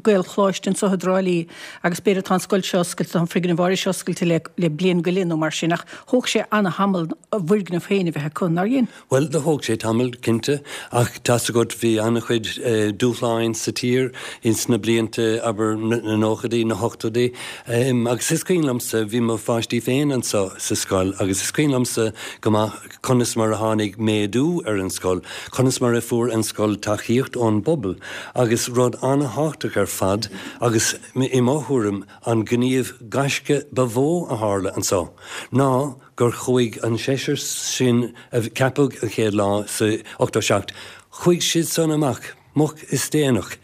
Gaelcholáiste anseo i dTrá Lí agus b'fhéidir tá an scoil seo oscailte, tá an foirgneamh áirithe seo oscailte le le bliain go leith nó mar sin ach thóg sé ana-thamall a bhfoirgneamh féin a bheith acu, nár dhein? Bhuel, do thóg sé tamall, cinnte, ach tá's agat bhí an-chuid dúshláin sa tír ins na blianta, abair, na nóchaidí, na hochtóidí agus is cuimhin liomsa, bhí mo pháistí féin anso sa scoil agus is cuimhin liomsa go maith, conas mar a tháinig méadú ar an scoil, conas mar a fuair an scoil tacaíocht ón bpobal agus rud an-thábhachtach ar fad agus i mo thuairim an gníomh gaisce ba mhó a tharla anso ná gur chuaigh an seisear sin a ceapadh an chéad lá sa 87, chuaigh siad san amach moch is déanach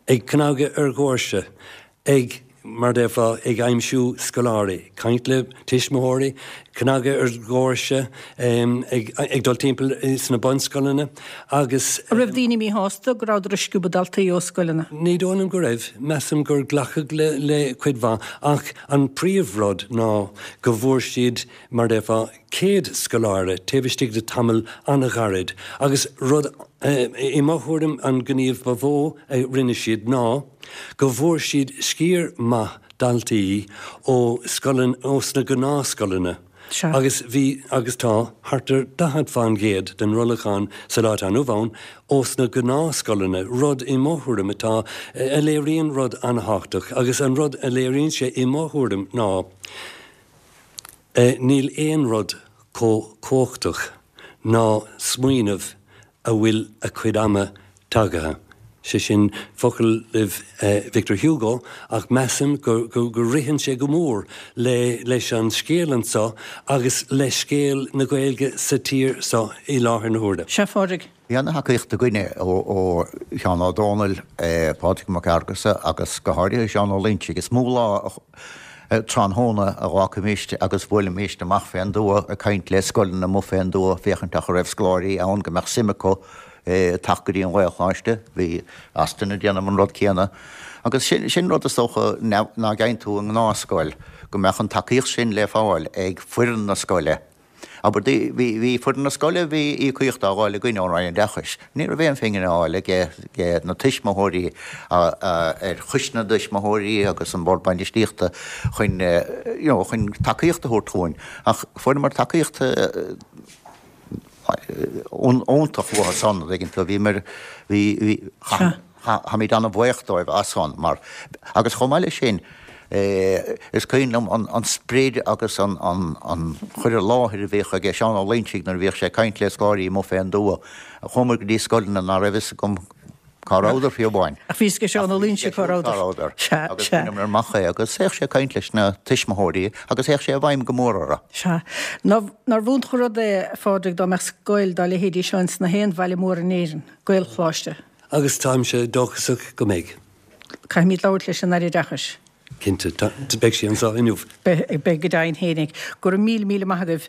ag cnagadh ar dhoirse ag, mar a déarfá, ag aimsiú scoláirí, caint le tuismitheoirí, cnagadh ar dhoirse, ag dul timpeall sna bunscoileanna agus. An raibh daoine míshásta go rabhadar ag sciobadh daltaí ó scoileanna? Ní dóigh liom go raibh. Measaim gur glacadh le cuid mhaith ach an príomhrud ná go bhfuair siad, mar a déarfá, 100 scoláire taobh istigh de tamall an-ghairid agus rud, i mo thuairim, an gníomh ba mhó a rinne siad ná go bhfuair siad sciar maith daltaí ó scoileanna, ós na gnáthscoileanna agus bhí, agus tá, thart ar 40 fán gcéad den rollachán sa lá atá inniu ann ós na gnáthscoileanna, rud i mo thuairim atá, a léiríonn rud an-thábhachtach agus an rud a léiríonn sé i mo thuairim ná, Níl aon rud chomh cumhachtach ná smaoineamh a bhfuil a chuid ama tagaithe, sé sin foclaibh Victor Hugo, ach measaim go ritheann sé go mór leis an scéal anso agus le scéal na Gaeilge sa tír seo i láthair na huaire. Sea, a Phádraig. Bhí ana-thacaíocht againne ó Sheán Ó Dónaill, Pádraig Mac Fhearghusa agus go háirithe Seán Ó Loingsigh. Is mó lá tráthnóna a dh'fhágfaimíst agus bhuailimíst amach fén dtuath ag caint le scoileanna amuigh fén dtuath féachaint an raibh scoláirí ann go mbeadh suim acu teacht go dtí an Ghaelcholáiste. Bhí Austin ag déanamh an rud céanna. Agus sin rud is dócha ná geibheann tú i ngnáthscoil, go mbeadh an tacaíocht sin le fáil ag foireann na scoile. Abair, bhí foireann na scoile, bhí íocaíocht á fháil againn ón Roinn Oideachais. Ní raibh aon phingin á fháil ag na tuismitheoirí ar choiste na dtuismitheoirí agus an Bord Bainistíochta chun, you know, chun tacaíocht a thabhairt dhúinn. Ach fuaireamar tacaíocht iontach uathu san, an dtuigeann tú. Bhíomar, bhí, bhí, chaith. Táimid an-bhuíoch dóibh as san mar, agus chomh maith leis sin, is cuimhin liom an sprid agus an cur i láthair a bhíodh aige Seán Ó Loingsigh nuair a bhíodh sé ag caint le scoláirí amuigh fén dtuath. Chuamar go dtí scoileanna ná raibh fhios agam cá rabhadar fiú amháin. Ach bhí fhios ag Seán Ó Loingsigh cá rabhadar. Sea, Agus sea. bhaineamar amach é agus théadh sé ag caint leis na tuismitheoirí agus théadh sé i bhfeidhm go mór orthu. Sea. Nárbh iontach an rud é, a Phádraig, dá mbeadh scoil dá leithéidí seo ins na haon bhaile mór in Éirinn, Gaelcholáiste. Agus táimse dóchasach go mbeidh. Caithfimid labhairt leis an Aire Oideachais. Cinnte, beidh sí anseo inniu. Beidh, go deimhin fhéinig. Go raibh míle, míle maith agaibh.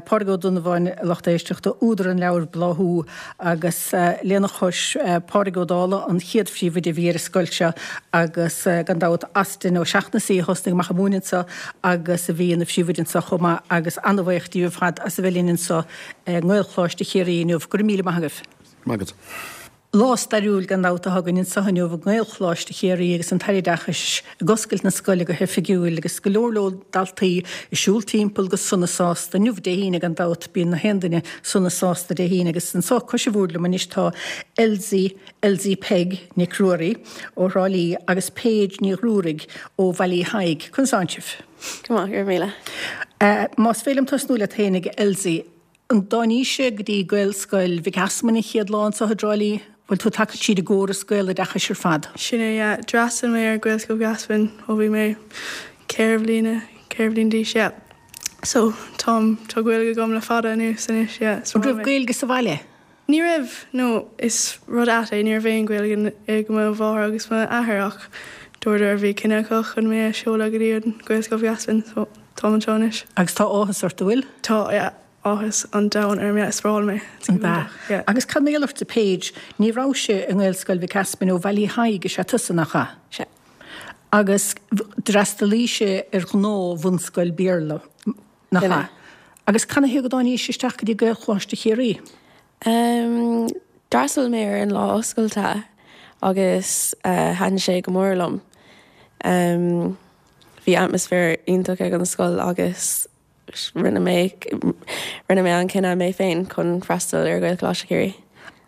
Pádraig Ó Donnabháin, a lucht éisteachta, údar an leabhair Bláthú, agus lena chois, Pádraig Ó Dálaigh, an chéad phríomhoide a bhí ar an scoil seo, agus gan dabht Austin Ó Seachnasaigh a thosnaigh amach ag múineadh anseo agus a bhí ina phríomhoide anseo chomh maith, agus an-bhuíoch díobh ar fad as a bheith linn anseo i nGaelcholáiste Chiarraí inniu. Go raibh míle maith agaibh. Maith agat. Lá stairiúil gan dabht atá againn anseo inniu i nGaelcholáiste Chiarraí agus an tAire Oideachais ag oscailt na scoile go hoifigiúil agus go leor leor daltaí ag siúl timpeall go sona sásta. Inniu Dé hAoine gan dabht, bíonn na haon duine sona sásta Dé hAoine agus anseo cois an bhoird liom anois tá Elsie, Elsie Peig Nic Ruairí ó Thrá Lí agus Paige Ní Ghruaraigh ó Bhaile Uí Thaidhg. Conas tánn sibh? Go maith, go raibh míle. Más féidir liom tosnú leat fhéinig, Elsie, An dtáinís-se go dtí Gaelscoil Mhic Easmainn an chéad lá anseo i dTrá Lí? Bhfuil tú tagtha tríd an gcóras Gaeloideachais ar fad? Sin é, yeah. D'fhreastail mé ar Gaelscoil Mhic Easmainn ó bhí mé 4 bhliana, 4 bhliain d'aois, yeah. So, táim, tá Gaeilge agam le fada anuas anois, yeah. An raibh Gaeilge sa bhaile? Ní raibh, no, is rud ait é, ní raibh aon Ghaeilge ag mo mháthair agus m'athair ach dúradar bhí cinneadh acu chun mé a sheoladh go dtí an Gaelscoil Mhic Easmainn so táim anseo anois. Agus tá áthas ort, an bhfuil? Tá, yeah, áthas an domhain orm, yeah, is breá liom é, it's An ea? Yeah. Agus cad mar gheall ortsa Paige, ní rabhais-se i nGaelscoil Mhic Easmainn ó Bhaile Uí Thaidhg is ea tusa, nach ea? Sea. Agus d'fhreastalaís-se ar ghnáth-bhunscoil Béarla, Nach ea? Agus canathaobh go dtáinís isteach go dtí Gaelcholáiste Chiarraí? D'fhreastail mé ar an lá oscailte agus thaitin sé go mór liom. Bhí atmaisféar iontach ag an scoil agus rinne mé rinne mé an cinneadh mé féin chun freastal ar Ghaelcholáiste Chiarraí.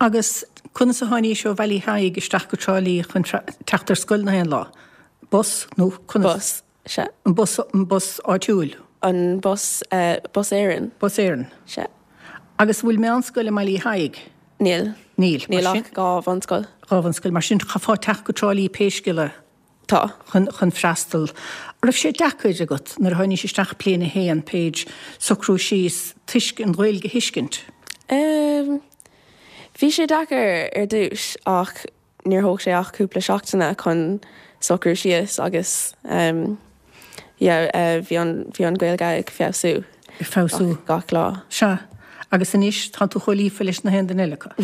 Agus conas a tháinís ó Bhaile Uí Thaidhg isteach go Trá Lí chun teacht ar scoil na haon lá? Bus nó conas? Bus. Sea. An bus, an bus áitiúil? An bus, Bus Éireann. Bus Éireann. Sea. Agus an bhfuil meánscoil i mBaile Uí Thaidhg? Níl. Níl. Níl ach 2 bhunscoil. 2 bhunscoil. Mar sin, chaithfeá teacht go Trá Lí pé scéal é. Tá. Chun, chun freastal. An raibh sé deacair agat nuair a tháinís isteach bliain a haon, Paige, socrú síos toisc an Ghaeilge a thuiscint? Bhí sé deacair ar dtús ach Níor thóg sé ach cúpla seachtaine chun socrú síos agus yeah bhí an bhí an Ghaeilge ag feabhsú. Ag feabhsú. Gach lá. Sea. Agus anois tá tú chomh líofa leis na haon duine eile acu.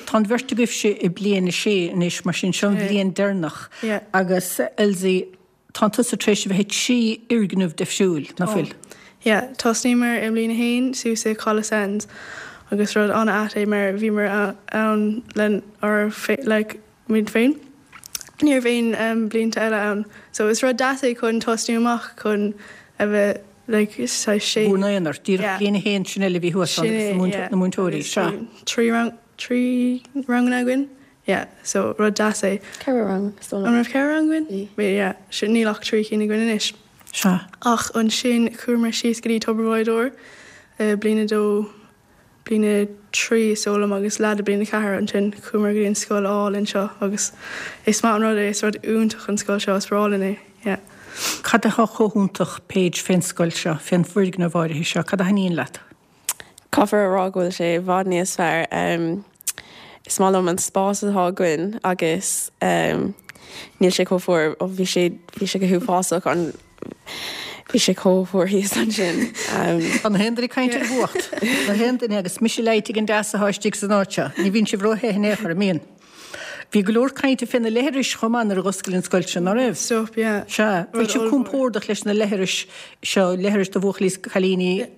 Tá an bheirt agaibhse i bliain a sé anois mar sin seo an bhliain deireanach agus Elsie Tá tusa tar éis a bheith i dtrí fhoirgneamh difriúil, nach bhfuil? Yeah, tosnaíomar i mbliain a haon suas i Caladh Sands agus rud an-ait é mar bhíomar ann len ár like muid féin. Ní raibh aon blianta eile ann. So is rud deas é chun tosnú amach chun a bheith like saghas sé. Bhur n-aonar, díreach bliain a haon sin eile a bhí thuas ann agus na múinteoirí, sea. 3 rang, 3 ranganna againn. Yeah, so rud deas é. Ceithre rang, is dóigh liom. An raibh ceithre rang againn? Bhí. Bhí, yeah. Sin, níl ach trí cinn againn anois. Sea. Ach ansin chuamar síos go dtí Tobar Mhaigh Dor i bliain a dó, bliain a trí is dóigh liom agus leath de bliain a ceathair ansin chuamar go dtí an scoil álainn seo agus is maith an rud é, is rud iontach an scoil seo, is breá linn é, yeah. Cad atá chomh hiontach, Paige, fén scoil seo, fén bhfoirgneamh áirithe seo, cad a thaitníonn leat? Caithfear a rá go bhfuil sé i bhfad níos fearr. Is maith liom an spás atá againn agus níl sé chomh fuar. Ó bhí sé, bhí sé go huafásach an, bhí sé chomh fuar thíos ansin. Tá na haon duine ag caint ar an bhfuacht. Na haon duine agus mise leáite ag an dteas atá istigh san áit seo. Ní bhíonn sibh ró-the in aon chor, an mbíonn? Bhí go leor cainte fé na leithris chomh maith nuair a dh'oscail an scoil seo, ná raibh? Stop, yeah. Sea. Bhfuil sibh compordach leis na leithris seo, leithris do bhuachaillí is cailíní,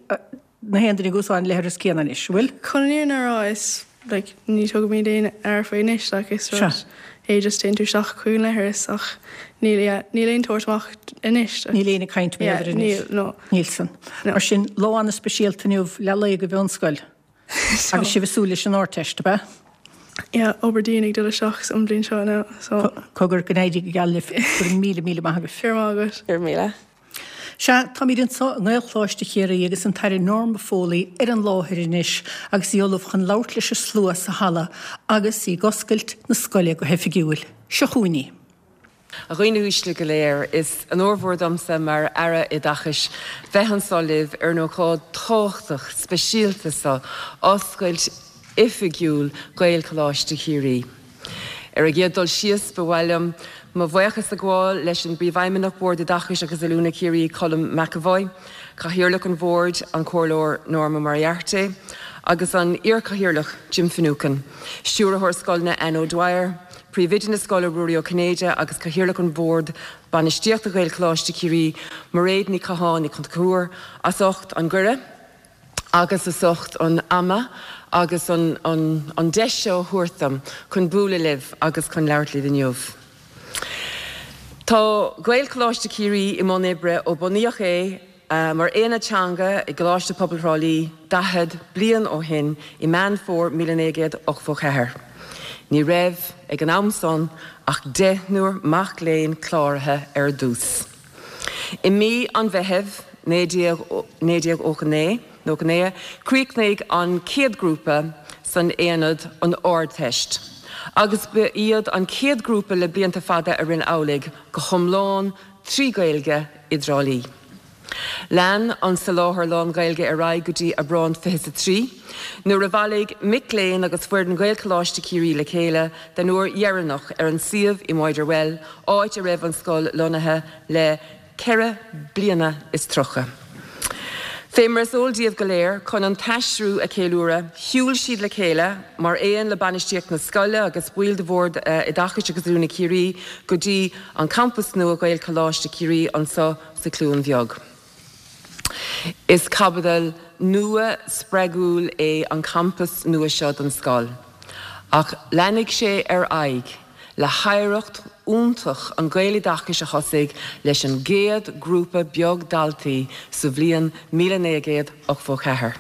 na haon duine ag úsáid an leithreas céanna anois, an bhfuil? Chun an fhírinne a rá is like ní tugaimid aon aire faoi anois like is rud é just téann tú isteach chuig an leithreas ach níl yeah níl aon tabhairt amach anois. Níl aon ag caint mar yeah, anois. Níl no. Níl san. No. Mar sin lá an-speisialta inniu leath lae go mheánscoil. Agus sibh ag súil leis an Ardteist, ab ea? Yeah, obair dian ag dul isteach an bhliain seo now, so. Cogar, go n-éirí go geal libh. Go raibh míle, míle maith agaibh. Go raibh maith agat. Go raibh míle. Sea, táimid anseo i nGaelcholáiste Chiarraí agus an tAire Norma Foley ar an láthair anois agus í ullamh chun labhairt leis an slua sa halla agus í ag oscailt na scoile go hoifigiúil. Seo chugainn í. A dhaoine uaisle go léir, is onóir mhór domsa mar Aire Oideachais bheith anso libh ar an ócáid tábhachtach speisialta so, oscailt oifigiúil Ghaelcholáiste Chiarraí. Ar an gcéad dul síos, ba mhaith liom mo bhuíochas a ghabháil leis an bPríomhfheidhmeannach Bord Oideachais agus Oiliúna Chiarraí, Colm McEvoy, Cathaoirleach an Bhoird, an Comhairleoir Norma Moriarty, agus an iar-Chathaoirleach Jim Finucane, Stiúrthóir Scoileanna Anne O'Dwyer, Príomhoide na scoile Ruairí Ó Cinnéide agus Cathaoirleach an Bhord Bainistíochta Ghaelcholáiste Chiarraí, Mairéad Ní Chatháin Ní Chonchúir, as ucht an gcuireadh agus as ucht an ama agus an an deis seo a thabhairt dom chun bualadh libh agus chun labhairt libh inniu. Tá Gaelcholáiste Chiarraí i mbun oibre ó bunaíodh é Mar aonad teanga i gColáiste Pobail Thrá Lí 40 bliain ó shin i Meán Fómhair 1984, ní raibh ag an am san ach deichniúr mac léinn cláraithe ar dtús. I mí an Mheithimh 1999, chríochnaigh an chéad ghrúpa san aonad an Ardteist agus ba iad an chéad ghrúpa le blianta fada a rinne amhlaidh go hiomlán 3 Ghaeilge i dTrá Lí. Lean an soláthar lán-Ghaeilge ar aghaidh go dtí Aibreán 23, nuair a bhailigh mic léinn agus foireann Ghaelcholáiste Chiarraí le chéile den uair dheireanach ar an suíomh i Mitre Well, áit a raibh an scoil lonnaithe le ceithre bliana is 30. Fé mar is eol daoibh go léir, chun an t-aistriú a cheiliúradh, shiúil siad le chéile, mar aon le bainistíocht na scoile agus baill de Bhord Oideachais agus Oiliúna Chiarraí, go dtí an campas nua Ghaelcholáiste Chiarraí anso sa Chluain Bheag. Is caibidil nua spreagúil é an campas nua seo don scoil, ach leanfaidh sé ar aghaidh le hoidhreacht iontach an Ghaeloideachais a thosaigh leis an gcéad grúpa beag daltaí sa bhliain 1984.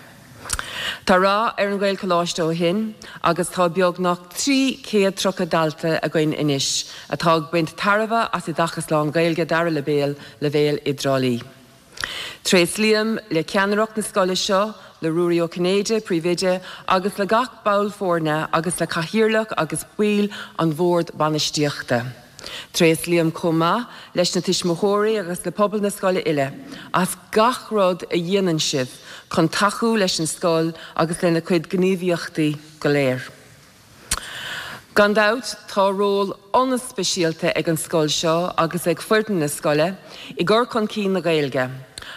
Tá rath ar an Ghaelcholáiste ó shin agus tá beagnach 330 dalta againn anois atá ag baint tairbhe as oideachas lán-Ghaeilge dara leibhéal i dTrá Lí. Tréaslaím le ceannaireacht na scoile seo, le Ruairí Ó Cinnéide, Príomhoide, agus le gach ball foirne agus le Cathaoirleach agus baill an Bhord Bainistíochta. Tréaslaím chomh maith leis na tuismitheoirí agus le pobal na scoile uile as gach rud a dhéanann sibh chun tacú leis an scoil agus lena cuid gníomhaíochtaí go léir. Gan dabht, tá ról an-speisialta ag an scoil seo agus ag foireann na scoile i gcur chun cinn na Gaeilge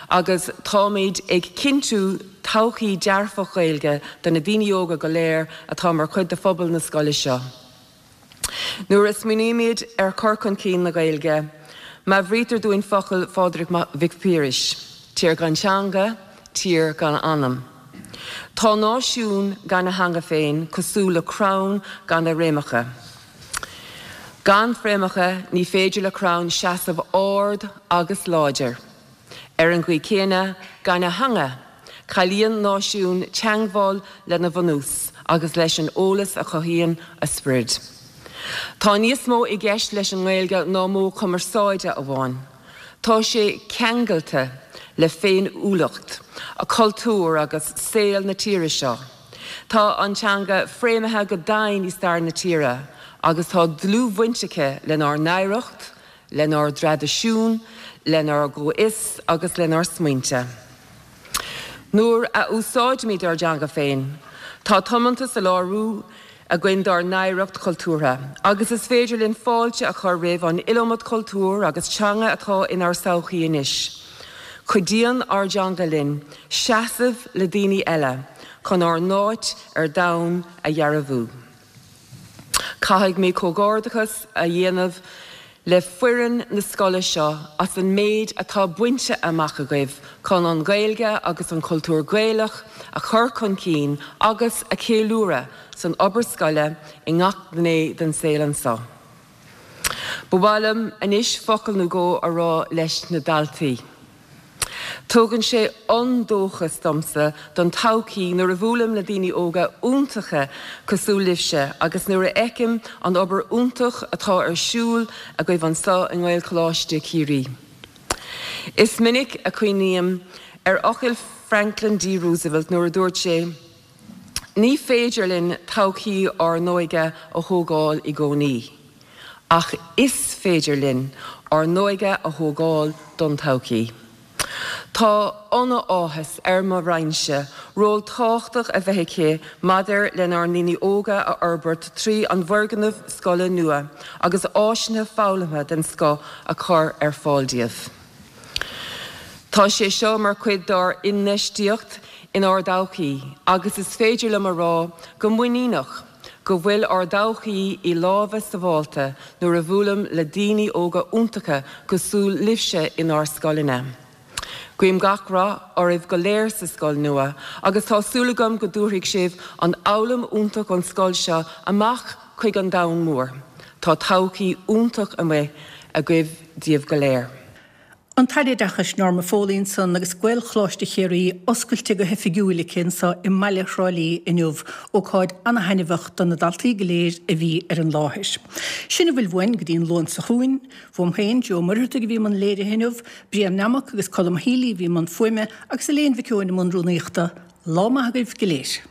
agus táimid ag cinntiú todhchaí dearfach Ghaeilge do na daoine óga go léir atá mar chuid de phobal na scoile seo. Nuair a smaoinímid ar chur chun cinn na Gaeilge, meabhraítear dúinn focail Phádraig Mhic Piarais, Tír gan teanga, tír gan anam. Tá náisiún gan a theanga féin cosúil le crann gan a fhréamhacha. Gan fréamhacha ní féidir le crann seasamh ard agus láidir. Ar an gcaoi chéanna, gan a theanga, cailleann náisiún teangmháil lena bhunús agus leis an eolas a chothaíonn a sprid. Tá níos mó i gceist leis an nGaeilge ná modh cumarsáide amháin. Tá sé ceangailte le féiniúlacht, cultúr agus saol na tíre seo. Tá an teanga fréamhaithe go domhain i stair na tíre agus tá dlúthbhaint aici lenár n-oidhreacht, lenár dtraidisiún, lenár gcomhfhios agus lenár smaointe. Nuair a úsáidimid ár dteanga féin, tá tiomantas á léiriú againn dár n-oidhreacht chultúrtha agus is féidir linn fáilte a chur roimh an iliomad cultúr agus teanga atá inár sochaí anois. Cuidíonn ár dteanga linn seasamh le daoine eile chun ár n-áit ar domhan a dhearbhú. Caithfidh mé comhghairdeachas a dhéanamh le foireann na scoile seo as an méid atá bainte amach agaibh chun an Ghaeilge agus an cultúr Gaelach a chur chun cinn agus a cheiliúradh san obair scoile i ngach gné den saol anseo. Ba mhaith liom anois focal nó dhó a rá leis na daltaí. Tugann sé an-dóchas domsa don todhchaí nuair a bhuailim le daoine óga iontacha cosúil libhse agus nuair a fheicim an obair iontach atá ar siúl agaibh anseo i nGaelcholáiste Chiarraí. Is minic a chuimhním ar fhocail Franklin D. Roosevelt nuair a dúirt sé, Ní féidir linn todhchaí ár n-óige a thógáil i gcónaí, ach is féidir linn ár n-óige a thógáil don todhchaí. Tá an-áthas ar mo Roinnse ról tábhachtach a bheith aici maidir lenár ndaoine óga a fhorbairt trí an bhfoirgneamh scoile nua agus áiseanna foghlamtha den scoth a chur ar fáil díobh. Tá sé seo mar chuid dár n-infheistíocht inár dtodhchaí agus is féidir liom a rá go muiníneach go bhfuil ár dtodhchaí i lámha sábháilte nuair a bhuailim le daoine óga iontacha cosúil libhse inár scoileanna. Guím gach rath oraibh go léir sa scoil nua agus tá súil agam go dtabharfaidh sibh an fhoghlaim iontach ón scoil seo amach chuig an domhan mór. Tá todhchaí iontach amuigh agaibh daoibh go léir. An tAire Oideachais Norma Foley ansan agus Gaelcholáiste Chiarraí oscailte go hoifigiúil aici anso i mbaile Thrá Lí inniu, ócáid ana-thaitneamhach do na daltaí go léir a bhí ar an láthair. Sin a bhfuil uainn go dtí an Luan seo chugainn. Uaim féin, Joe Ó Muircheartaigh a bhí i mbun léirithe inniu, Brian Nammock agus Colm Healy a bhí i mbun fuaime agus Elaine Mhic Eoin i mbun rúnaíochta. Lá maith agaibh go léir.